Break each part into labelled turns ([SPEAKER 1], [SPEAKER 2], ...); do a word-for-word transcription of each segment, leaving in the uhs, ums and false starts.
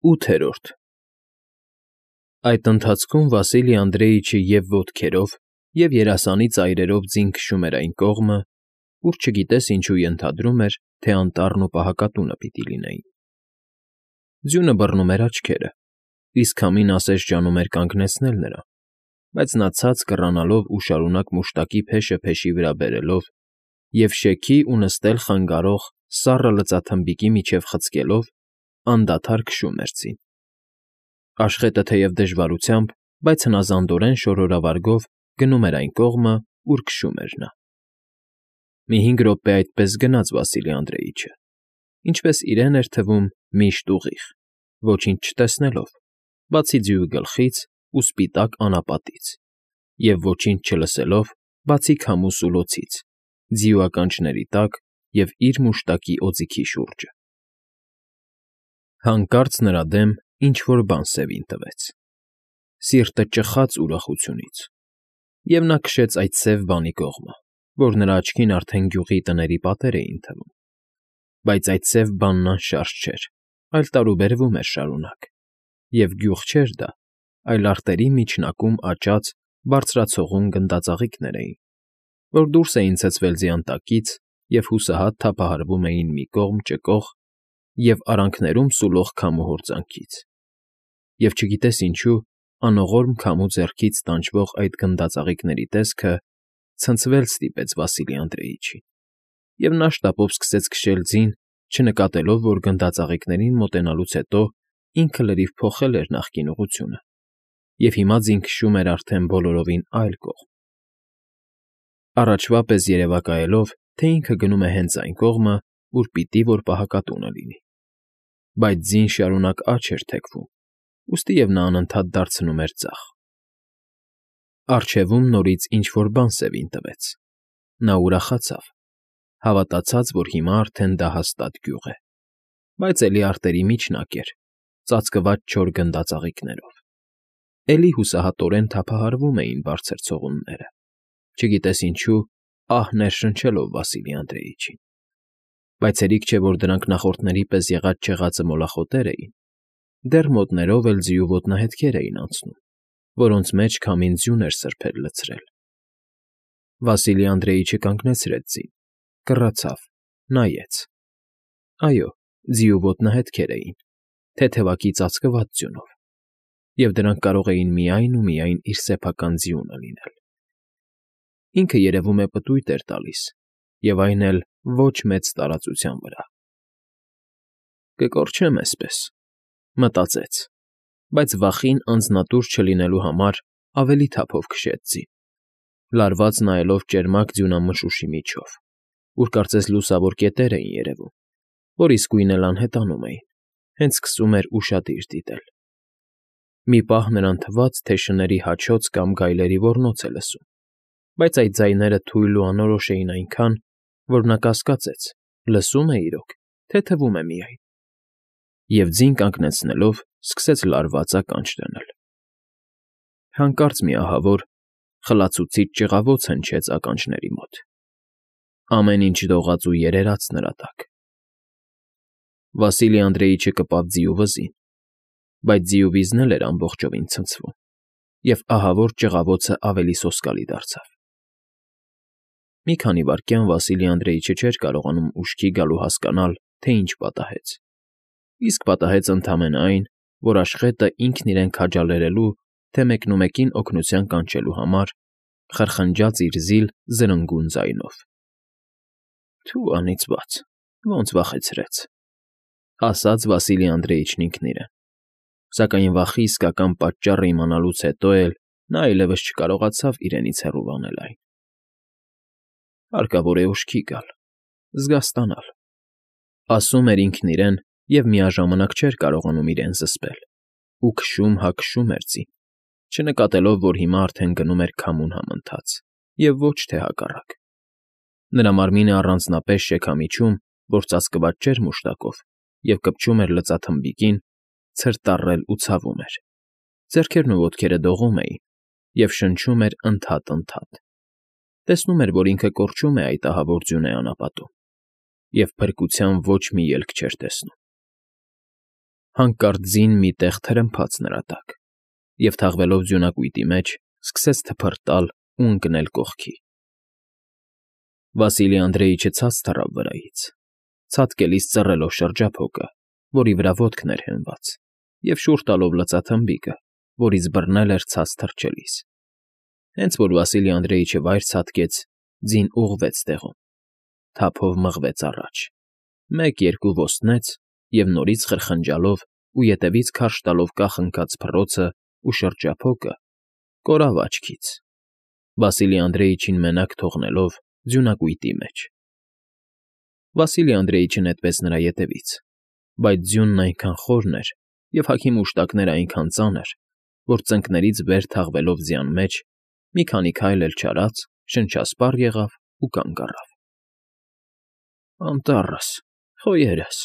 [SPEAKER 1] ՈՒԹԵՐՈՐԴ Այդ ընթացքում Վասիլի Անդրեիչը և՛ ոտքերով, և՛ երասանի ծայրերով ձին քշում էր այն կողմը, ուր չգիտես ինչու ենթադրում էր, թե անտառն ու պահակատունը պիտի լինեին. ձյունը բռնում էր աչքերը, իսկ քամին ասես ջանում էր կանգնեցնել նրան, բայց նա ցած կռանալով ու շարունակ մուշտակի փեշը փեշի վրա բերելով և շեքի ու նստել խանգարող սառը լծաթմբիկի միջև խցկելով, անդադար քշում էր ձին. Աշխետը թեև դժվարությամբ, բայց հնազանդորեն շորորավարգով գնում էր այն կողմը, ուր քշում էր նա. մի հինգ րոպե այդպես գնաց Վասիլի Անդրեիչը, ինչպես իրեն էր թվում միշտ ուղիղ, ոչինչ չտեսնելով, բացի ձիու գլխից ու սպիտակ անապատից, և ոչինչ չլսելով, բացի քամու սուլոցից, ձիու ականջների տակ և իր մուշտակի օձիքի շուրջը. Հանկարծ նրա դեմ ինչ֊որ բան սևին տվեց, սիրտը ճխաց ուրախությունից, և նա քշեց այդ սև բանի կողմը, որ նրա աչքին արդեն գյուղի տների պատեր էին թվում, բայց այդ սև բանն անշարժ չէր, այլ տարուբերվում էր շարունակ, և գյուղ չէր դա, այլ արտերի միջնակում աճած բարձրացողուն գնդածաղիկներ էին, որ դուրս էին ցցվել ձիանտակից և հուսահատ թափահարվում էին մի կողմ ճկող և արանքներում սուլող քամու հորձանքից, և չգիտես ինչու, անողորմ քամու ձեռքից տանջվող այդ գնդածաղիկների տեսքը ցնցվել ստիպեց Վասիլի Անդրեիչին, և նա շտապով սկսեց քշել ձին, չնկատելով, որ գնդածաղիկներին մոտենալուց հետո ինքը լրիվ փոխել էր նախկին ուղղությունը և հիմա ձին քշում էր արդեն բոլորովին այլ կողմ. առաջվա պես երևակայելով, թե ինքը գնում է հենց այն կողմը, ուր պիտի որ պահակատունը լինի, բայց ձին շարունակ աջ էր թեքվում, ուստի և նա անընդհատ դարձնում էր ձախ. առջևում նորից ինչ֊որ բան սևին տվեց, նա ուրախացավ, հավատացած, որ հիմա արդեն դա հաստատ գյուղ է, բայց էլի արտերի միջնակ էր, ծածկված չոր գնդածաղիկներով, էլի հուսահատորեն թափահարվում էին բարձր ցողունները, չգիտես ինչու ահ ներշնչելով Վասիլի Անդրեիչին, բայց հերիք չէ, որ դրանք նախորդների պես եղած֊չեղածը մոլախոտեր էին, դեռ մոտներով էլ ձիու ոտնահետքեր էին անցնում, որոնց մեջ քամին ձյուն էր սրբել լցրել. Վասիլի Անդրեիչը կանգնեցրեց ձին, կռացավ, նայեց. այո, ձիու ոտնահետքեր էին, թեթևակի ծածկված ձյունով, և դրանք կարող էին միայն ու միայն իր սեփական ձիունը լինել. ինքը երևում է պտույտ էր տալիս, և այն էլ ոչ մեծ տարածության վրա։ «Կկորչեմ էսպես», մտածեց, բայց վախին անձնատուր չլինելու համար ավելի թափով քշեց ձին, լարված նայելով ճերմակ ձյունամշուշի միջով, ուր կարծես լուսավոր կետեր էին երևում, որ իսկույն էլ անհետանում էին, հենց սկսում էր ուշադիր դիտել. մի պահ նրան թվաց, թե շների հաչոց կամ գայլերի ոռնոց է լսում, բայց այդ ձայները թույլ ու անորոշ էին այնքան, որ նա կասկածեց՝ լսո՞ւմ է իրոք, թե թվում է միայն, և ձին կանգնեցնելով սկսեց լարված ականջ դնել. հանկարծ մի ահավոր, խլացուցիչ ճղավոց հնչեց ականջների մոտ, ամեն ինչ դողաց ու երերաց նրա տակ. Վասիլի Անդրեիչը կպավ ձիու վզին, բայց ձիու վիզն էլ էր ամբողջովին ցնցվում, և ահավոր ճղավոցը ավելի սոսկալի դարձավ. մի քանի վայրկյան Վասիլի Անդրեիչը չէր կարողանում ուշքի գալ ու հասկանալ, թե ինչ պատահեց, իսկ պատահեց ընդամենը այն, որ աշխետը ինքն իրեն քաջալերելու, թե մեկնումեկին օգնության կանչելու համար խրխնջաց իր զիլ, զրնգուն ձայնով. «Թո՛ւ անիծված, ոնց վախեցրեց», ասաց Վասիլի Անդրեիչն ինքն իրեն, սակայն վախի իսկական պատճառը իմանալուց հետո էլ նա այլևս չկարողացավ իրենից հեռու անել այն. «Հարկավոր է ուշքի գալ, զգաստանալ», ասում էր ինքն իրեն և միաժամանակ չէր կարողանում իրեն զսպել ու քշում հա քշում էր ձին, չնկատելով, որ հիմա արդեն գնում էր քամուն համընթաց և ոչ թե հակառակ. նրա մարմինը առանձնապես շեքամիջում, որ ծածկված չէր մուշտակով և կպչում էր լծաթմբիկին, ցրտառել ու ցավում էր, ձեռքերն ու ոտքերը դողում էին և շնչում էր ընդհատ֊ընդհատ, տեսնում էր, որ ինքը կորչում է այդ ահավոր ձյունե անապատում, և փրկության ոչ մի ելք չէր տեսնում։ Հանկարծ ձին մի տեղ թրմփաց նրա տակ, և, թաղվելով ձյունակույտի մեջ, սկսեց թփրտալ ու ընկնել կողքի։ Վասիլի Անդրեիչը ցած թռավ վրայից, ցատկելիս ծռելով շրջափոկը, որի վրա ոտքն էր հենված, և շուռ տալով լծաթմբիկը, որից բռնել էր ցած թռչելիս։ Հենց որ Վասիլի Անդրեիչը վայր ցատկեց, ձին ուղղվեց տեղում, թափով մղվեց առաջ, մեկ֊երկու ոստնեց և նորից խրխնջալով ու ետևից քարշ տալով կախ ընկած փռոցն ու շրջափոկը, կորավ աչքից, Վասիլի Անդրեիչին մենակ թողնելով ձյունակույտի մեջ։ Վասիլի Անդրեիչը նետվեց նրա ետևից, բայց ձյունն այնքան խորն էր և հագի մուշտակներն այնքան ծանր, որ ծնկներից վեր թաղվելով ձյան մեջ, մի քանի քայլ էլ չարած, շնչասպառ եղավ ու կանգ առավ։ Անտառս, խոյերս,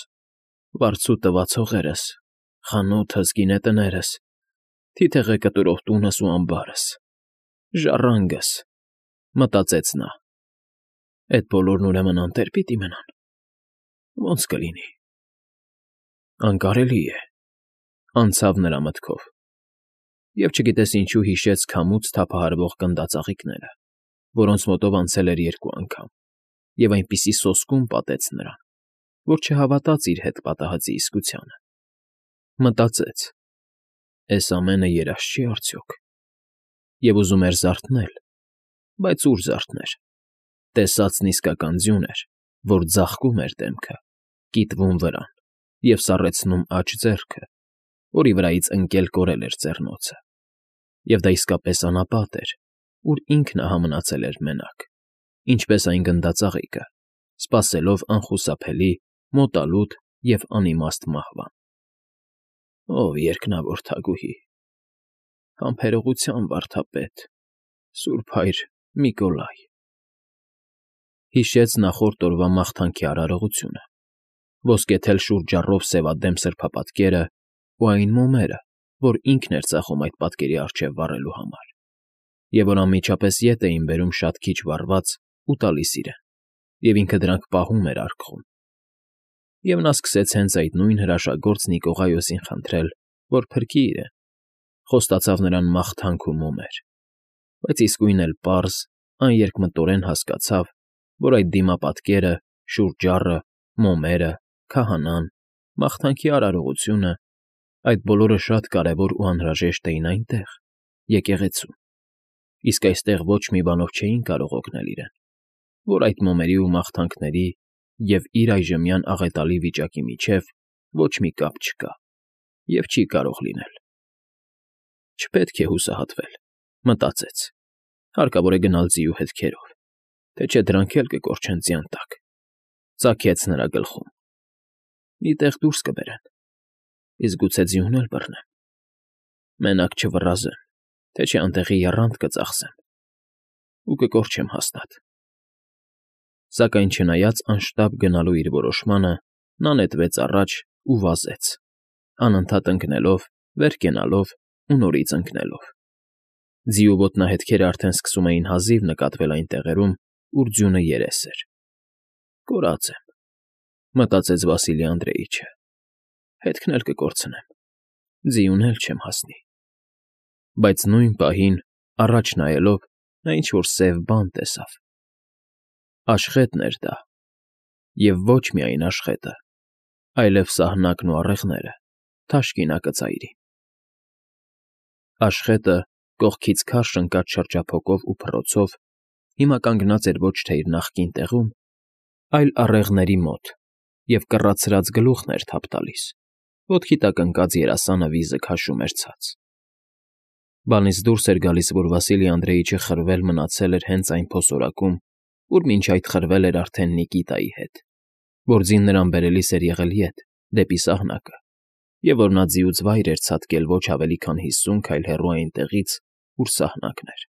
[SPEAKER 1] վարձու տված հողերս, խանութս, գինետներս, թիթեղը կտուրող տունս ու ամբարս, ժառանգս, մտածեց նա, էդ բոլորն ուրեմն անտե՞ր պիտի մնան, ո՞նց կլինի… Անկարելի է, անցավ նրա մտքով, և չգիտես ինչու հիշեց քամուց թափահարվող գնդածաղիկները, որոնց մոտով անցել էր երկու անգամ, և այնպիսի սոսկում պատեց նրան, որ չհավատաց իր հետ պատահածի իսկությանը։ Մտածեց. «Էս ամենը երազ չի՞ արդյոք»… և ուզում էր զարթնել, բայց ուր զարթներ… Տեսածն իսկական ձյուն էր, որ ձաղկում էր դեմքը, կիտվում վրան և սառեցնում աջ ձեռքը, որի վրայից ընկել կորել էր ծեռնոցը, և դա իսկապես անապատ էր, ուր ինքն ահա մնացել էր մենակ, ինչպես այն գնդածաղիկը, սպասելով անխուսափելի, մոտալուտ և անիմաստ մահվան։ Ով երկնավոր թագուհի… Համբերողության վարդապետ… Սուրբ Հայր Միկոլայ… Հիշեց նախորդ օրվա մաղթանքի արարողությունը, ոսկեթել շուրջառով սևադեմ սրբապատկերը ու այն մոմերը, որ ինքն էր ծախում այդ պատկերի առջև վառելու համար, և որ անմիջապես ետ էին բերում շատ քիչ վառված ու տալիս իրեն, և ինքը դրանք պահում էր արկղում։ Եվ նա սկսեց հենց այդ նույն հրաշագործ Նիկողայոսին խնդրել, որ փրկի իրեն, խոստացավ նրան մաղթանք ու մոմեր, բայց իսկույն էլ պարզ, աներկմտորեն հասկացավ, որ այդ դիմապատկերը, շուրջառը, մոմերը, քահանան, մաղթանքի արարողությունը… այդ բոլորը շատ կարևոր ու անհրաժեշտ էին այնտեղ, եկեղեցում, իսկ այստեղ ոչ մի բանով չէին կարող օգնել իրեն, որ այդ մոմերի ու մաղթանքների և իր այժմյան աղետալի վիճակի միջև ոչ մի կապ չկա և չի կարող լինել։ Չպետք է հուսահատվել, մտածեց, հարկավոր է գնալ ձիու հետքերով, թե չէ դրանք էլ կկորչեն ձյան տակ, ծագեց նրա գլխում, մի տեղ դուրս կբերեն, իսկ գուցե ձյունն էլ բռնեն, մենակ չվռազեմ, թե չէ անտեղի եռանդ կծախսեմ ու կկորչեմ հաստատ։ Սակայն չնայած անշտապ գնալու իր որոշմանը, նա նետվեց առաջ ու վազեց, անընդհատ ընկնելով, վեր կենալով ու նորից ընկնելով։ Ձիու ոտնահետքերը արդեն սկսում էին հազիվ նկատվել այն տեղերում, ուր ձյունը երես էր։ «Կորած եմ,֊ մտածեց Վասիլի Անդրեիչը,֊ հետքն էլ կկորցնեմ, ձիուն էլ չեմ հասնի»։ Բայց նույն պահին, առաջ նայելով, նա ինչ֊որ սև բան տեսավ… Աշխետն էր դա, և ոչ միայն աշխետը, այլև սահնակն ու առեղները, թաշկինակը ծայրին… Աշխետը, կողքից քարշ ընկած շրջափոկով ու փռոցով, հիմա կանգնած էր ոչ թե իր նախկին տեղում, այլ առեղների մոտ և կռացրած գլուխն էր թափ տալիս, ոտքի տակ ընկած երասանը վիզը քաշում էր ցած… Բանից դուրս էր գալիս, որ Վասիլի Անդրեիչը խրվել մնացել էր հենց այն փոսորակում, ուր մինչ այդ խրվել էր արդեն Նիկիտայի հետ, որ ձին նրան բերելիս էր եղել ետ, դեպի սահնակը, և որ նա ձիուց վայր էր ցատկել ոչ ավելի քան հիսուն քայլ հեռու այնտեղից, ուր սահնակն էր։